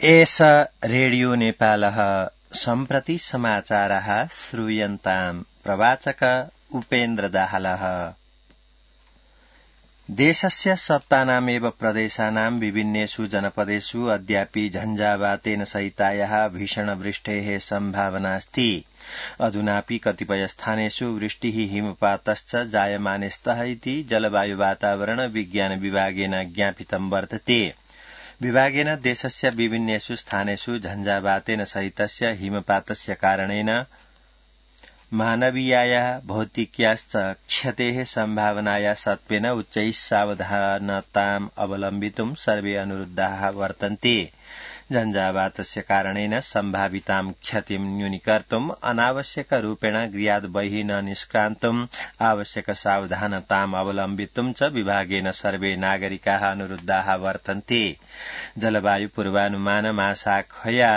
एष रेडियो नेपालः सम्प्रति समाचारः श्रूयन्ताम् प्रवाचक उपेन्द्र दाहालः। देशस्य सप्तानामेव प्रदेशानां विभिन्नेषु जनपदेषु अद्यापि झञ्झावातेन सहितायाः भीषणवृष्टेः सम्भावनास्ति। अधुनापि कतिपय स्थानेषु वृष्टिः हिमपातश्च जायमाने स्तः इति जलवायु वातावरण विज्ञान विभागेन ज्ञापितं वर्तते। विभागेन देशस्य विभिन्नेषु स्थानेषु झञ्झावातेन सहितस्य हिमपातस्य कारणेन मानवीयायाः भौतिक्याश्च क्षतेः सम्भावनाया सत्त्वेन उच्चैः सावधानताम् अवलम्बितुं सर्वे अनुरुद्धाः वर्तन्ते। झञ्झावातस्य कारणेन सम्भावितां क्षतिं न्यूनीकर्तुम् अनावश्यकरूपेण गृहात् बहिः न निष्क्रान्तुम् आवश्यक सावधानताम् अवलम्बितुं च विभागेन सर्वे नागरिकाः अनुरुद्धाः वर्तन्ते। जलवायु पूर्वानुमान मासाखया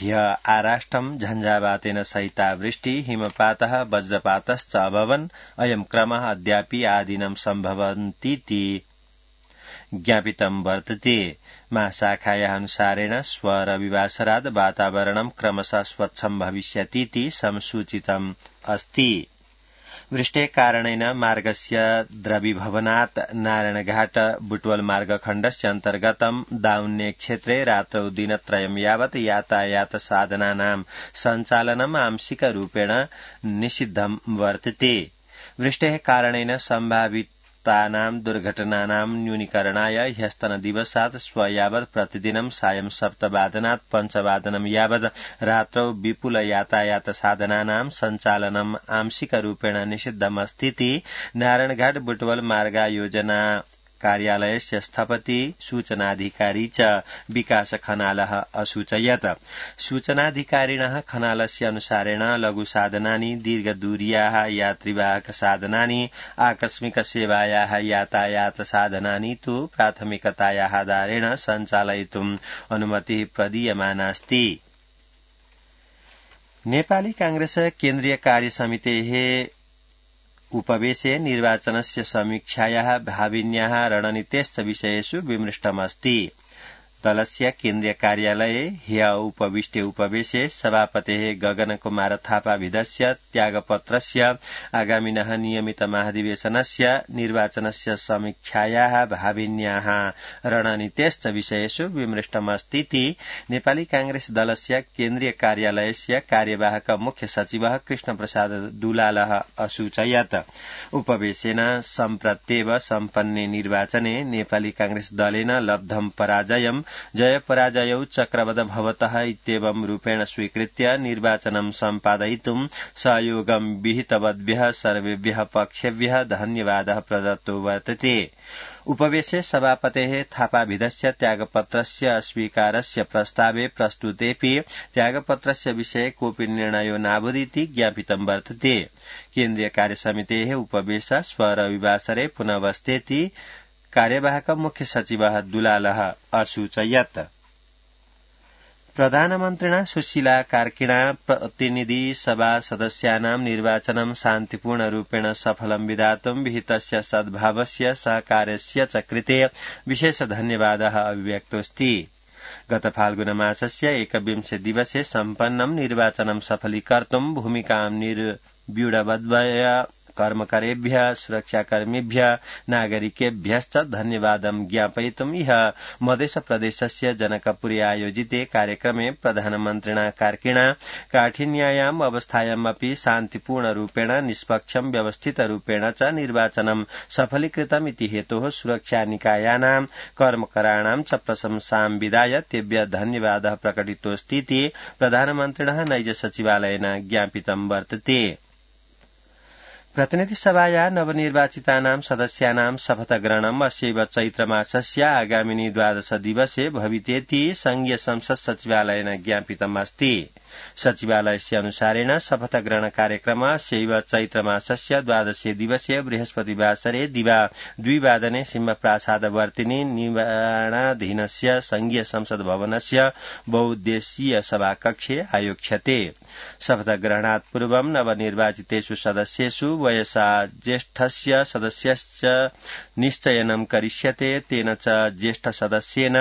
ह्य आराष्ट्रं झञ्झावातेन सहिता वृष्टि हिमपातः वज्रपातश्च अभवन्। अयं क्रमः अद्यापि आदिनं सम्भवन्तीति ज्ञापितं वर्तते। महाशाखायाः अनुसारेण स्वरविवासरात् वातावरणं क्रमशः स्वच्छं भविष्यतीति संसूचितम् अस्ति। वृष्टेः कारणेन मार्गस्य द्रवीभवनात् नारायणघाट बुटवल मार्गखण्डस्य अन्तर्गतं दाउन्ने क्षेत्रे रात्रौ दिनत्रयं यावत् यातायात साधनानां सञ्चालनम् आंशिकरूपेण निषिद्धं वर्तते। वृष्टेः कारणेन सम्भावितानां दुर्घटनानां न्यूनीकरणाय ह्यस्तनदिवसात् श्व यावत् प्रतिदिनं सायं 7:00 5:00 यावत् रात्रौ विपुल यातायात साधनानां सञ्चालनम् आंशिकरूपेण निषिद्धमस्तीति नारायणघाट बुटवल मार्गायोजना कार्यालयस्य स्थपति सूचनाधिकारी च विकास खनालः असूचयत्। सूचनाधिकारिणः खनालस्य अनुसारेण लघुसाधनानि, दीर्घदूर्याः यात्रिवाहक साधनानि, आकस्मिक सेवायाः यातायात साधनानि तु प्राथमिकतायाः आधारेण सञ्चालयितुम् अनुमतिः प्रदीयमानास्ति। नेपाली कांग्रेस केन्द्रीय कार्यसमितेः उपवेशे निर्वाचनस्य समीक्षायाः भाविन्याः रणनीतेश्च विषयेषु विमृष्टमस्ति। दलस्य केन्द्रीय कार्यालये ह्य उपविष्टे उपवेशे सभापतेः गगनकुमार थापाविधस्य त्यागपत्रस्य आगामिनः नियमित महाधिवेशनस्य निर्वाचनस्य समीक्षायाः भाविन्याः रणनीतेश्च विषयेषु विमृष्टमस्तीति नेपाली कांग्रेस दलस्य केन्द्रीय कार्यालयस्य कार्यवाहक मुख्य सचिवः कृष्णप्रसाद दुलालः असूचयत्। उपवेशेन सम्प्रत्येव सम्पन्ने निर्वाचने नेपाली कांग्रेस दलेन लब्धं पराजयं जयपराजयौ चक्रवद् भवतः इत्येवं रूपेण स्वीकृत्य निर्वाचनं सम्पादयितुं सहयोगं विहितवद्भ्यः सर्वेभ्यः पक्षेभ्यः धन्यवादः प्रदत्तो वर्तते। उपवेशे सभापतेः थापाविधस्य त्यागपत्रस्य अस्वीकारस्य प्रस्तावे प्रस्तुतेऽपि त्यागपत्रस्य विषये कोऽपि निर्णयो नाभूदिति ज्ञापितं वर्तते। केन्द्रीय कार्यसमितेः उपवेशः स्वरविवासरे पुनः बस्तेति कार्यवाहक मुख्य सचिवः दुलालः असूचयत्। प्रधानमन्त्रिणा सुशीला कार्किणा प्रतिनिधि सभा सदस्यानां निर्वाचनं शान्तिपूर्णरूपेण सफलं विधातुं विहितस्य सद्भावस्य सहकारस्य च कृते विशेष धन्यवादः अभिव्यक्तोऽस्ति। गत फाल्गुनमासस्य 21 दिवसे सम्पन्नं निर्वाचनं सफलीकर्तुं भूमिकां निर्व्यूढवद्भ्यः कर्मकरेभ्यः सुरक्षाकर्मिभ्यः नागरिकेभ्यश्च धन्यवादं ज्ञापयितुं इह मध्यप्रदेशस्य जनकपुरे आयोजिते कार्यक्रमे प्रधानमन्त्रिणा कार्किणा काठिन्यायाम् अवस्थायामपि शान्तिपूर्णरूपेण निष्पक्षं व्यवस्थितरूपेण च निर्वाचनं सफलीकृतम् इति हेतोः सुरक्षानिकायानां कर्मकराणां च प्रशंसां विधाय तेभ्यः धन्यवादः प्रकटितोऽस्तीति प्रधानमन्त्रिणः नैज सचिवालयेन ज्ञापितं वर्तते। प्रतिनिधिसभाया नवनिर्वाचितानां सदस्यानां शपथग्रहणम् अस्यैव चैत्रमासस्य आगामिनि 12 दिवसे भवितेति संघीय संसद सचिवालयेन ज्ञापितमस्ति। सचिवालयस्य अनुसारेण शपथग्रहण कार्यक्रमः अस्यैव चैत्रमासस्य 12 दिवसे बृहस्पतिवासरे दिवा 2 सिंहप्रासादवर्तिनि निर्माणाधीनस्य संघीय संसद भवनस्य बहुउद्देशीय सभाकक्षे आयोक्ष्यते। शपथग्रहणात् पूर्वं नवनिर्वाचितेषु सदस्येषु वयसा ज्येष्ठस्य सदस्यस्य निश्चयनं करिष्यते। तेन च ज्येष्ठ सदस्येन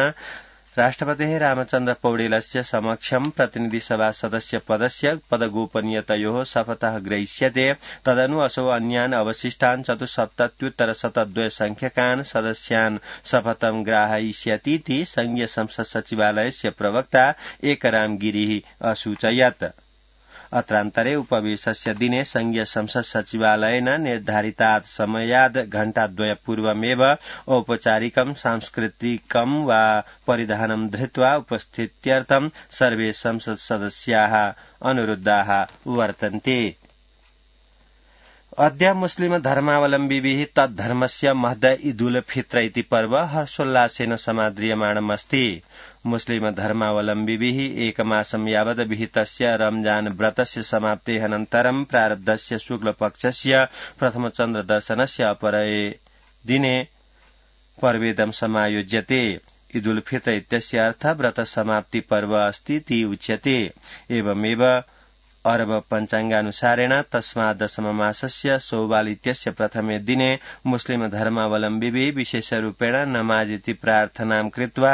राष्ट्रपतेः रामचन्द्र पौडेलस्य समक्षं प्रतिनिधिसभा सदस्य पदस्य पदगोपनीयतयोः शपथः ग्रहीष्यते। तदनु असौ अन्यान् अवशिष्टान् 74,72 संख्यकान् सदस्यान् शपथं ग्राहयिष्यतीति संघीय संसद सचिवालयस्य प्रवक्ता एकराम गिरिः असूचयत्। अत्रान्तरे उपवेशस्य दिने संघीय संसद सचिवालयेन निर्धारितात् समयात् घण्टाद्वयपूर्वमेव औपचारिकं सांस्कृतिकं वा परिधानं धृत्वा उपस्थित्यर्थं सर्वे संसद सदस्याः अनुरुद्धाः वर्तन्ते। अद्य मुस्लिम धर्मावलम्बिभिः तद्धर्मस्य महद ईदुल फित्र इति पर्व हर्षोल्लासेन समाद्रियमाणमस्ति। मुस्लिम धर्मावलम्बिभिः एकमासं यावत् विहितस्य रमजान व्रतस्य समाप्तेः अनन्तरं प्रारब्धस्य शुक्लपक्षस्य प्रथमचन्द्रदर्शनस्य अपरे दिने पर्वेदं समायोज्यते। ईदुल फित्र इत्यस्य अर्थः व्रत समाप्ति पर्व अस्ति इति उच्यते। एवमेव अरब पञ्चाङ्गानुसारेण तस्मात् दशममासस्य शौवाल इत्यस्य प्रथमे दिने मुस्लिम धर्मावलम्बिभिः विशेषरूपेण नमाज इति प्रार्थनां कृत्वा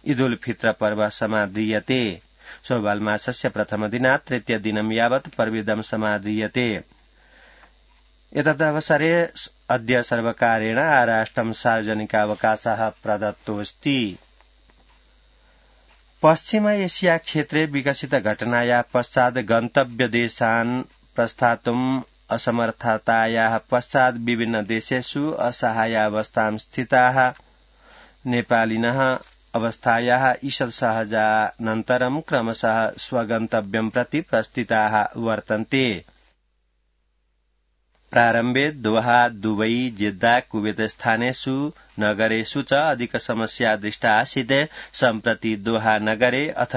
ईदुल फित्र पर्व समाद्रियते। शौवाल मासस्य प्रथमदिनात् तृतीयदिनं यावत् पर्वेदं समाद्रियते। एतदवसरे अद्य सर्वकारेण आराष्ट्रं सार्वजनिकावकाशः प्रदत्तोऽस्ति। पश्चिम एशिया क्षेत्रे विकसित घटनाया पश्चात् गन्तव्यदेशान् प्रस्थातुम् असमर्थतायाः पश्चात् विभिन्न देशेषु असहायावस्थां स्थिताः नेपालिनः अवस्थायाः ईषत् सहजानन्तरं क्रमशः स्वगन्तव्यं प्रति प्रस्थिताः वर्तन्ते। प्रारम्भे दोहा, दुबई, जिद्दा, कुवेत स्थानेषु नगरेषु च अधिक समस्या दृष्टा आसीत्। सम्प्रति दोहा नगरे अथ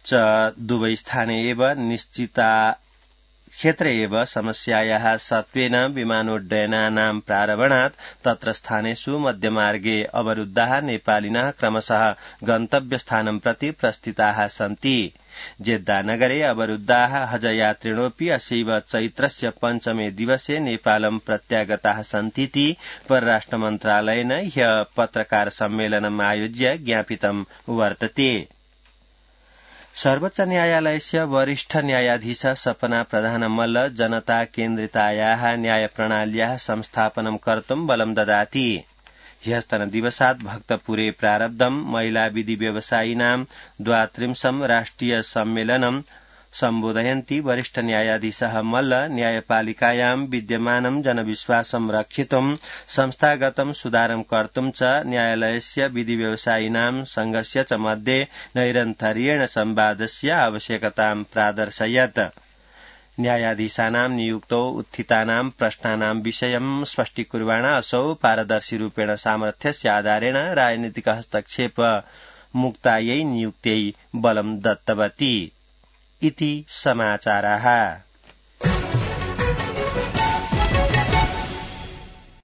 च दुबई स्थाने एव निश्चिता क्षेत्रे एव समस्यायाः सत्त्वेन विमानोड्डयनानां प्रारम्भात् तत्र स्थानेषु मध्यमार्गे अवरुद्धाः नेपालिनः क्रमशः गन्तव्यस्थानं प्रति प्रस्थिताः सन्ति। जेद्दा नगरे अवरुद्धाः हजयात्रिणोऽपि अस्यैव चैत्रस्य पञ्चमे दिवसे नेपालं प्रत्यागताः सन्तीति परराष्ट्रमन्त्रालयेन ह्यः पत्रकार सम्मेलनम् आयोज्य ज्ञापितं वर्तते। सर्वोच्च न्यायालयस्य वरिष्ठ न्यायाधीश सपना प्रधानमल्ल जनता केन्द्रितायाः न्यायप्रणाल्याः संस्थापनं कर्तुं बलं ददाति। ह्यस्तनदिवसात् भक्तपुरे प्रारब्धं महिला विधि व्यवसायिनां 32 राष्ट्रिय सम्मेलनं सम्बोधयन्ति वरिष्ठ न्यायाधीशः मल्ल न्यायपालिकायां विद्यमानं जनविश्वासं रक्षितुं संस्थागतं सुधारं कर्तुं च न्यायालयस्य विधि व्यवसायिनां संघस्य च मध्ये नैरन्तर्येण संवादस्य आवश्यकतां प्रादर्शयत्। न्यायाधीशानां नियुक्तौ उत्थितानां प्रश्नानां विषयं स्पष्टीकुर्वाण असौ पारदर्शिरूपेण सामर्थ्यस्य आधारेण राजनीतिक हस्तक्षेप मुक्तायै नियुक्त्यै बलं दत्तवती इति समाचाराः।